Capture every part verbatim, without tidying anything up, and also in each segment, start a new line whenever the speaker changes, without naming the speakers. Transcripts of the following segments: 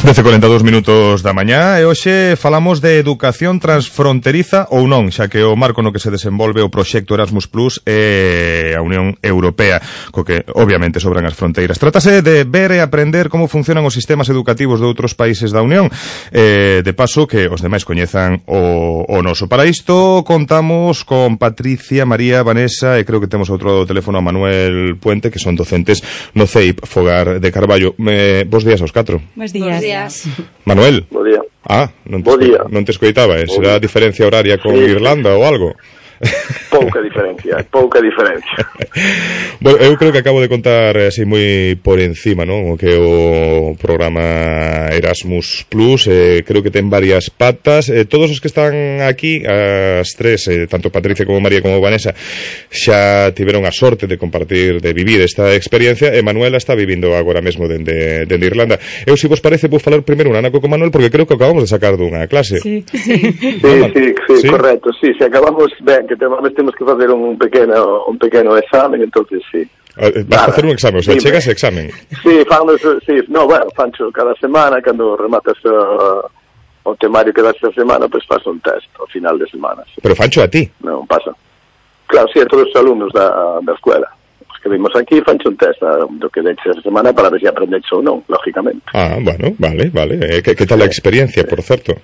dez e corenta e dous minutos da mañá e hoxe falamos de educación transfronteriza ou non, xa que o marco no que se desenvolve o proxecto Erasmus Plus é a Unión Europea, co que obviamente sobran as fronteiras. Trátase de ver e aprender como funcionan os sistemas educativos de outros países da Unión, eh, de paso que os demais coñezan o, o noso. Para isto contamos con Patricia, María, Vanessa e creo que temos outro teléfono a Manuel Puente, que son docentes no C E I P Fogar de Carballo. Eh, bos días aos catro.
Bos días. Bos días.
Manuel.
Bo día.
Ah, non te,
Bo día.
Non te escoitaba, eh? Será a diferencia horaria con sí. Irlanda ou algo?
Pouca diferencia, pouca diferencia.
Bueno, eu creo que acabo de contar así moi por encima, non? O que o programa Erasmus Plus, eh, creo que ten varias patas. Eh, todos os que están aquí, as tres, eh, tanto Patricia como María como Vanessa, xa tiveron a sorte de compartir, de vivir esta experiencia, e Manuela está vivindo agora mesmo dende, dende Irlanda. Eu, se vos parece, vou falar primeiro un anaco con Manuel, porque creo que acabamos de sacar dunha clase.
Sí, sí,
sí, sí, sí, sí, correcto, sí, se acabamos, ben, que temos, temos que facer un pequeno un pequeno examen, entonces sí.
Vas a facer un examen, o sea,
dime.
chegas examen.
Sí, fanos, sí, no, bueno, fancho cada semana, cando rematas uh, o temario que das esta semana, pues faz un test ao final de semana. Sí.
Pero fancho a ti?
Non pasa. Claro, sí, a todos os alumnos da, da escuela. Os que vimos aquí fancho un test uh, do que deches esta semana para ver se aprendeches ou non, lógicamente.
Ah, bueno, vale, vale. Eh, que, que tal a experiencia, sí. Por certo?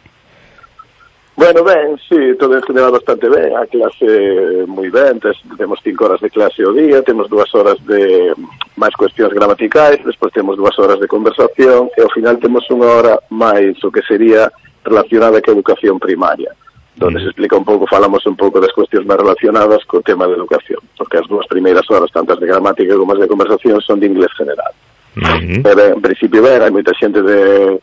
Bueno, ben, sí, todo en general bastante ben, a clase moi ben, tes, temos cinco horas de clase ao día, temos dúas horas de máis cuestións gramaticais, despois temos dúas horas de conversación, e ao final temos unha hora máis o que sería relacionada ca educación primaria, donde mm. se explica un pouco, falamos un pouco das cuestións máis relacionadas co tema de educación, porque as dúas primeiras horas, tantas de gramática como as de conversación, son de inglés general. Mm-hmm. E ben, en principio, ben, hai moita xente de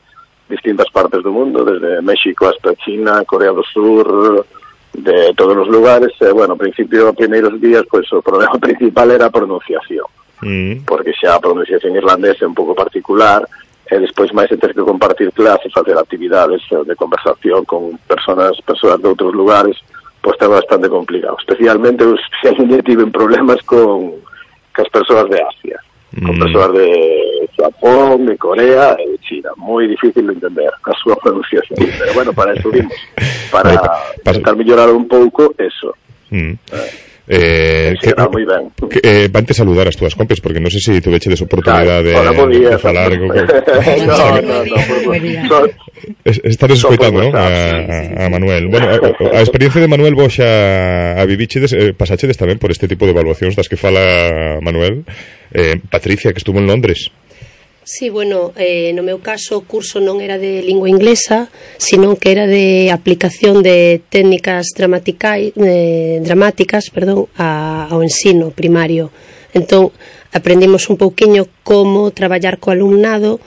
distintas partes do mundo, desde México hasta China, Corea do Sur, de todos os lugares. E, bueno, ao principio, os primeiros días, pois o problema principal era a pronunciación, mm. porque xa a pronunciación irlandesa é un pouco particular, e despois máis se ter que compartir clases, facer actividades de conversación con personas persoas de outros lugares, pois está bastante complicado. Especialmente, os xa tiven problemas con as persoas de Asia, con persoas de Japón, de Corea e de China. Moi difícil de entender a súa pronunciación, pero bueno, para eso vimos, para tentar mellorar un pouco eso. Mm.
Eh,
sí, que, moi ben.
Que, eh, vante saludar as túas compes, porque non sei se tu veche des oportunidade
claro,
de,
de,
de falar con...
no, no, no, no,
estás escoitando, non? A, a Manuel. Bueno, a, a experiencia de Manuel vos xa a vivichedes, eh, pasachedes tamén por este tipo de evaluacións das que fala Manuel. Eh, Patricia, que estuvo en Londres.
Sí, bueno, eh, no meu caso o curso non era de lingua inglesa, sino que era de aplicación de técnicas dramaticais, eh, dramáticas perdón, a, ao ensino primario. Entón, aprendimos un pouquiño como traballar co alumnado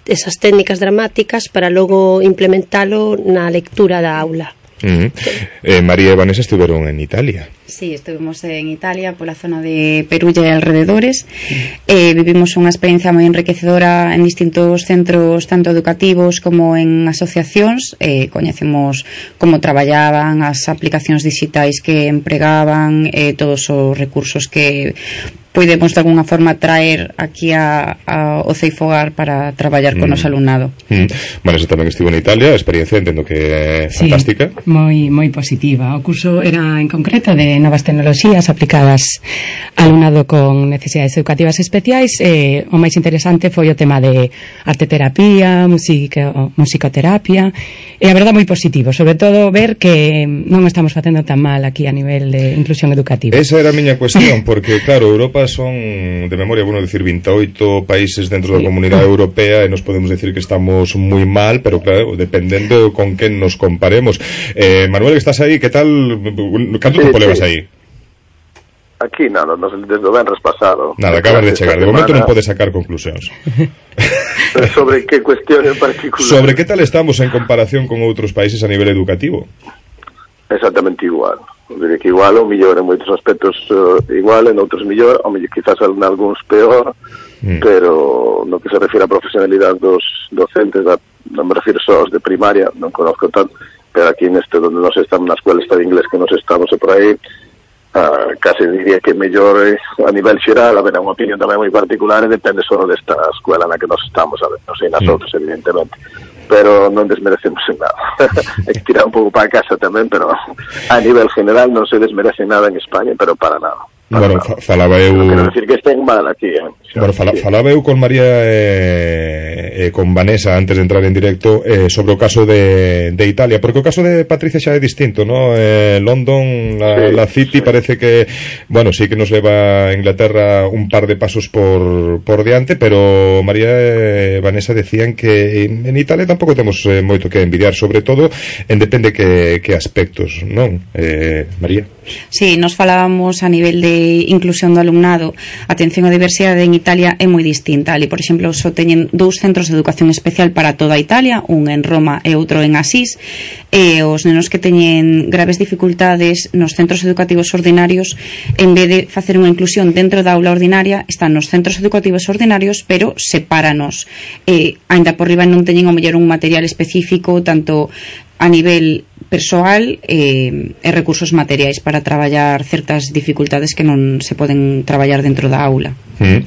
esas técnicas dramáticas para logo implementalo na lectura da aula.
Uh-huh. eh, María e Vanessa estuveron en Italia.
Sí, estuvimos en Italia, pola zona de Perugia e alrededores. eh, Vivimos unha experiencia moi enriquecedora en distintos centros, tanto educativos como en asociacións. eh, Coñecemos como traballaban, as aplicacións digitais que empregaban, eh, todos os recursos que podemos de alguna forma traer aquí a, a, o C E I Fogar para traballar con mm. os alumnado.
Mm. Vanessa tamén estivo en Italia, a experiencia entendo que é fantástica.
Sí, moi, moi positiva. O curso era en concreto de novas tecnoloxías aplicadas ao alumnado con necesidades educativas especiais. Eh, o máis interesante foi o tema de arteterapia, música, musicoterapia, e a verdade moi positivo, sobre todo ver que non estamos facendo tan mal aquí a nivel de inclusión educativa.
Esa era a miña cuestión, porque claro, Europa son, de memoria, bueno, decir veintiocho países dentro da Comunidade Europea, e nos podemos decir que estamos moi mal, pero claro, dependendo con quen nos comparemos. eh, Manuel, que estás aí, que tal, canto sí, tempo sí. levas aí?
Aquí, nada, nos, desde o venres pasado.
Nada, acabas de chegar, de momento non podes sacar conclusións.
Sobre que cuestión en particular?
Sobre que tal estamos en comparación con outros países a nivel educativo?
Exactamente igual. Diré que igual, ou mellor en moitos aspectos uh, igual, en outros mellor, ou mellor quizás en algúns peor, mm. pero no que se refira a profesionalidade dos docentes, da, non me refiro só aos de primaria, non conozco tanto, pero aquí neste donde nos estamos na escuela está de inglés que nos estamos e por aí, Uh, case diría que mellor eh, a nivel xeral, a ver, é unha opinión tamén moi particular e depende só desta escuela na que nos estamos, a ver, non sei nas sí. outras, evidentemente, pero non desmerecemos en nada. Hai que tirar un pouco para casa tamén, pero a nivel general non se desmerece nada en España, pero para nada.
Bueno, fa falaba eu...
Non quero decir que estén mal aquí, eh?
Bueno, fala falaba eu con María e eh, eh, con Vanessa antes de entrar en directo eh, sobre o caso de, de Italia, porque o caso de Patricia xa é distinto, ¿no? Eh, London, la, sí, la City, sí. Parece que, bueno, sí que nos leva a Inglaterra un par de pasos por, por diante, pero María e Vanessa decían que en Italia tampouco temos eh, moito que envidiar, sobre todo en depende que, que aspectos, non? Eh, María?
Sí, nos falábamos a nivel de inclusión do alumnado. A atención á diversidade en Italia é moi distinta. Ali, por exemplo, só teñen dous centros de educación especial para toda Italia, un en Roma e outro en Asís, e os nenos que teñen graves dificultades nos centros educativos ordinarios, en vez de facer unha inclusión dentro da aula ordinaria, están nos centros educativos ordinarios, pero sepáranos. E, aínda por riba non teñen o mellor un material específico, tanto a nivel persoal e, e recursos materiais para traballar certas dificultades que non se poden traballar dentro da aula.
Mm.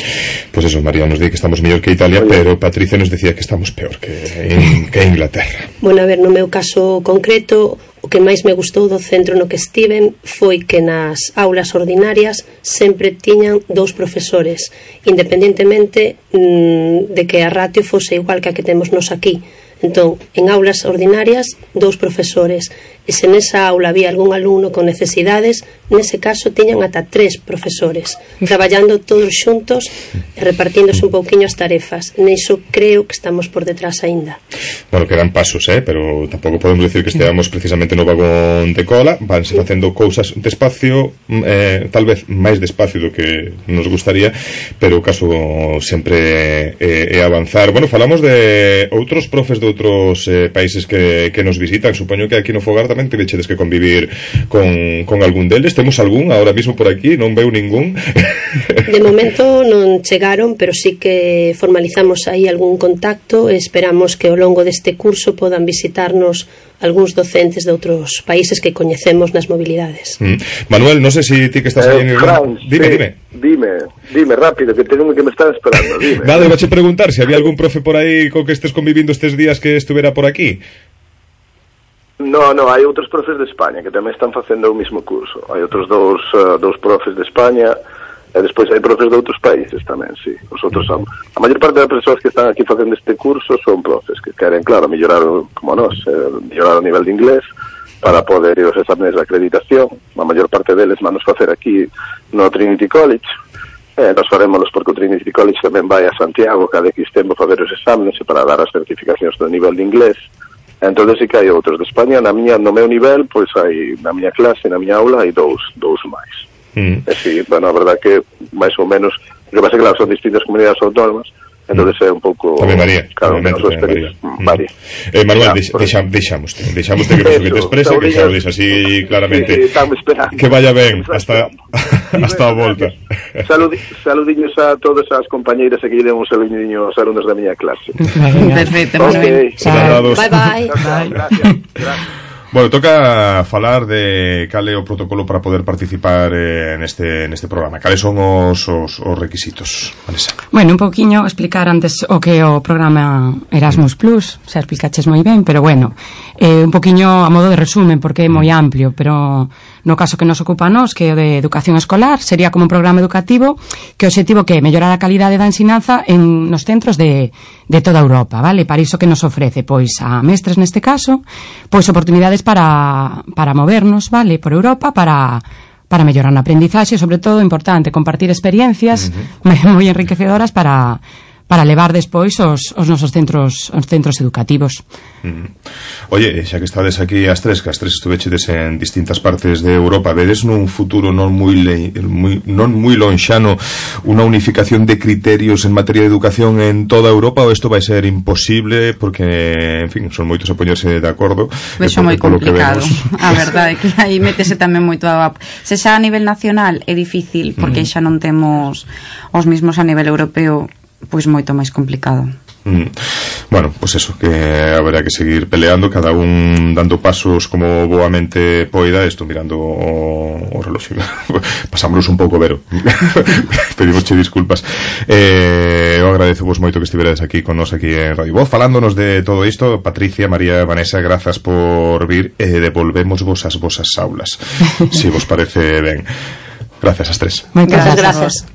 Pois pues eso, María nos di que estamos mellor que Italia, pero Patricia nos decía que estamos peor que, en, que Inglaterra.
Bueno, a ver, no meu caso concreto, o que máis me gustou do centro no que estiven foi que nas aulas ordinarias sempre tiñan dous profesores, independentemente mmm, de que a ratio fose igual que a que temos nos aquí. Entón, en aulas ordinarias, dous profesores. E se nesa aula había algún alumno con necesidades, nese caso tiñan ata tres profesores, traballando todos xuntos e repartíndose un pouquiño as tarefas. Niso creo que estamos por detrás aínda.
Bueno, quedan pasos, eh? Pero tampouco podemos decir que esteamos precisamente no vagón de cola. Vanse facendo cousas despacio, eh, tal vez máis despacio do que nos gustaría, pero o caso sempre é, é avanzar. Bueno, falamos de outros profes de outros eh, países que, que nos visitan. Supoño que aquí no Fogar tamén tivechedes que convivir con, con algún deles. Temos algún ahora mismo por aquí? Non veu ningún?
De momento non chegaron, pero sí que formalizamos aí algún contacto e esperamos que ao longo deste curso podan visitarnos algúns docentes de outros países que coñecemos nas mobilidades.
Mm. Manuel, non sei se ti que estás eh, aí en
Irlanda. Dime,
sí. dime.
Dime, dime rápido, que tengo que me están esperando. Dime.
Nada, iba a preguntar se si había algún profe por aí co que estés convivindo estes días que estuvera por aquí.
No, no, hai outros profes de España que tamén están facendo o mismo curso. Hai outros dous, uh, dous profes de España e despois hai profes de outros países tamén, sí. Os outros son. A maior parte das persoas que están aquí facendo este curso son profes que queren, claro, mellorar, como nós, eh, mellorar o nivel de inglés para poder ir aos exames de acreditación. A maior parte deles van nos facer aquí no Trinity College. Eh, nos faremos porque o Trinity College tamén vai a Santiago cada X tempo para ver os exames e para dar as certificacións do nivel de inglés. Entón, sí que hai outros de España. Na miña, no meu nivel, pois hai, na miña clase, na miña aula, hai dous, dous máis. Mm. E sí, bueno, a verdad que, máis ou menos, o que pasa que, claro, son distintas comunidades autónomas, entón é un pouco...
Tamén María,
claro,
tamén
María.
María. Eh, Manuel, ya, deixa, deixamoste, deixamoste que, que te exprese, que xa o dixas así claramente.
Sí, sí,
que vaya ben, hasta, hasta a volta.
Saludi, saludiños a todas as compañeiras e que lle den un saludiño aos alumnos da miña clase.
Perfecto,
okay.
Bye, bye.
Bye. Gracias, gracias.
Bueno, toca falar de cal é o protocolo para poder participar eh, neste, neste programa. Cales son os, os, os requisitos, Vanessa?
Bueno, un pouquiño explicar antes o que é o programa Erasmus Plus, xa explicaches moi ben, pero bueno, eh, un pouquiño a modo de resumen, porque é moi amplio, pero no caso que nos ocupa a nos, que é o de educación escolar, sería como un programa educativo que o objetivo que é mellorar a calidade da ensinanza en nos centros de, de toda Europa, vale? Para iso que nos ofrece, pois, a mestres neste caso, pois oportunidades para, para movernos, vale, por Europa, para, para mellorar na aprendizaxe, sobre todo, importante, compartir experiencias uh-huh. moi enriquecedoras para, para levar despois os, os nosos centros, os centros educativos.
Uh-huh. Oye, xa que estades aquí as tres, que as tres estuvechedes en distintas partes de Europa, vedes nun futuro non moi, le, moi, non moi lonxano unha unificación de criterios en materia de educación en toda Europa, ou isto vai ser imposible porque, en fin, son moitos a poñerse de acordo?
Vexo moi complicado, a verdade é que aí métese tamén moito a... Se xa a nivel nacional é difícil porque uh-huh. xa non temos os mismos a nivel europeo, pois moito máis complicado.
Mm. Bueno, pues eso, que habrá que seguir peleando, cada un dando pasos como boamente poida. Estou mirando o, o reloxo. Pasámonos un pouco, Vero. Pedimosche disculpas. Eh, eu agradezo vos moito que estiveredes aquí con nos aquí en Radio Voz falándonos de todo isto. Patricia, María, Vanessa, grazas por vir e eh, devolvemos vos as vosas aulas, se si vos parece ben. Gracias ás tres.
Moitas
gracias.